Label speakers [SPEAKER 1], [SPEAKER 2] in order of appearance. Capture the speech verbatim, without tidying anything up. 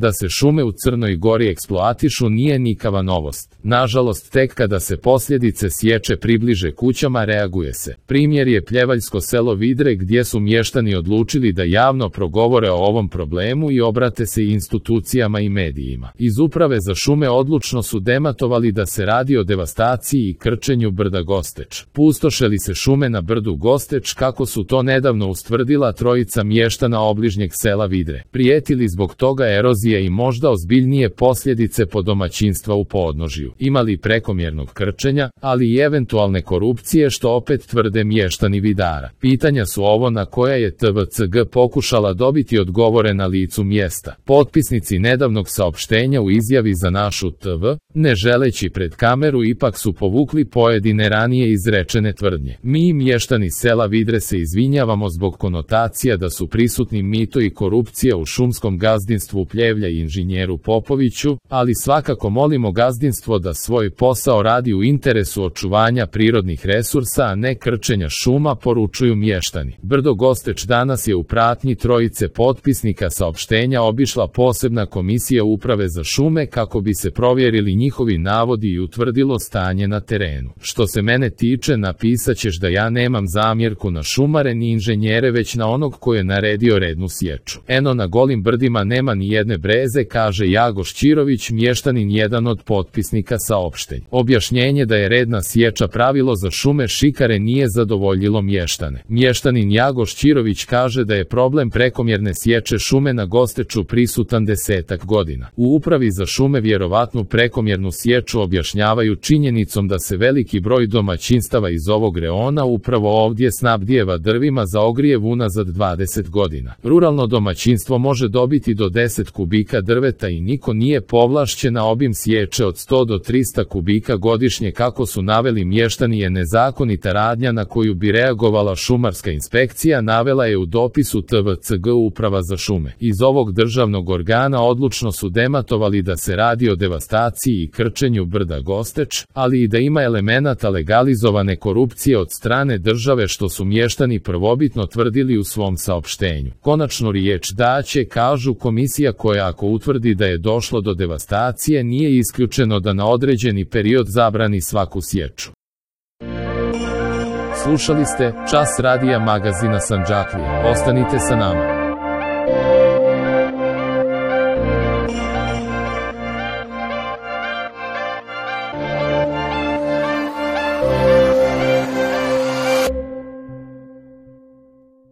[SPEAKER 1] Da se šume u Crnoj Gori eksploatišu nije nikakva novost. Nažalost, tek kada se posljedice sječe približe kućama reaguje se. Primjer je pljevaljsko selo Vidre gdje su mještani odlučili da javno progovore o ovom problemu i obrate se institucijama i medijima. Iz Uprave za šume odlučno su dematovali da se radi o devastaciji i krčenju brda Gosteč. Pustoše li se šume na brdu Gosteč kako su to nedavno ustvrdila trojica mještana obližnjeg sela Vidre. Prijetili zbog toga erozije i možda ozbiljnije posljedice po domaćinstva u podnožju. Imali prekomjernog krčenja, ali i eventualne korupcije što opet tvrde mještani Vidara. Pitanja su ovo na koja je T V C G pokušala dobiti odgovore na licu mjesta. Potpisnici nedavnog saopštenja u izjavi za našu T V, ne želeći pred kameru, ipak su povukli pojedine ranije izrečene tvrdnje. Mi, mještani sela Vidre, se izvinjavamo zbog konotacija da su prisutni mito i korupcija u šumskom gazdinstvu Pljevlja i inženjeru Popoviću, ali svakako molimo gazdinstvo da svoj posao radi u interesu očuvanja prirodnih resursa, a ne krčenja šuma, poručuju mještani. Brdo Gosteč danas je u pratnji trojice potpisnika saopštenja obišla posebna komisija Uprave za šume kako bi se provjerili njihovi navodi i utvrdilo stanje na terenu. Što se mene tiče, napisat ćeš da ja nemam zamjerku na šumare ni inženjere, već na onog ko je naredio rednu sječu. Eno, na golim brdima nema ni jedne breze, kaže Jagoš Čirović, mještanin, jedan od potpisnika saopštenja. Objašnjenje da je redna sječa pravilo za šume šikare nije zadovoljilo mještane. Mještanin Jagoš Čirović kaže da je problem prekomjerne sječe šume na Gosteču prisutan desetak godina. U Upravi za šume vjerovatnu prekomjernu sječu objašnjavaju činjenicom da se veliki broj domaćinstava iz ovog reona upravo ovdje snabdijeva drvima za ogrjev unazad dvadeset godina. Ruralno domaćinstvo može dobiti do deset kubika drveta i niko nije povlašćen, na obim sječe od sto do trista kubika godišnje, kako su naveli mještani, je nezakonita radnja na koju bi reagovala šumarska inspekcija, navela je u dopisu T V C G Uprava za šume. Iz ovog državnog organa odlučno su dematovali da se radi o devastaciji i krčenju brda Gosteč, ali i da ima elemenata legalizovane korupcije od strane države, što su mještani prvobitno tvrdili u svom saopštenju. Konačnu riječ daće, kažu, komisija koja, ako utvrdi da je došlo do devastacije, nije isključeno da na određeni period zabrani svaku sječu. Slušali ste Čas radija magazina Sandžaklija. Ostanite sa nama.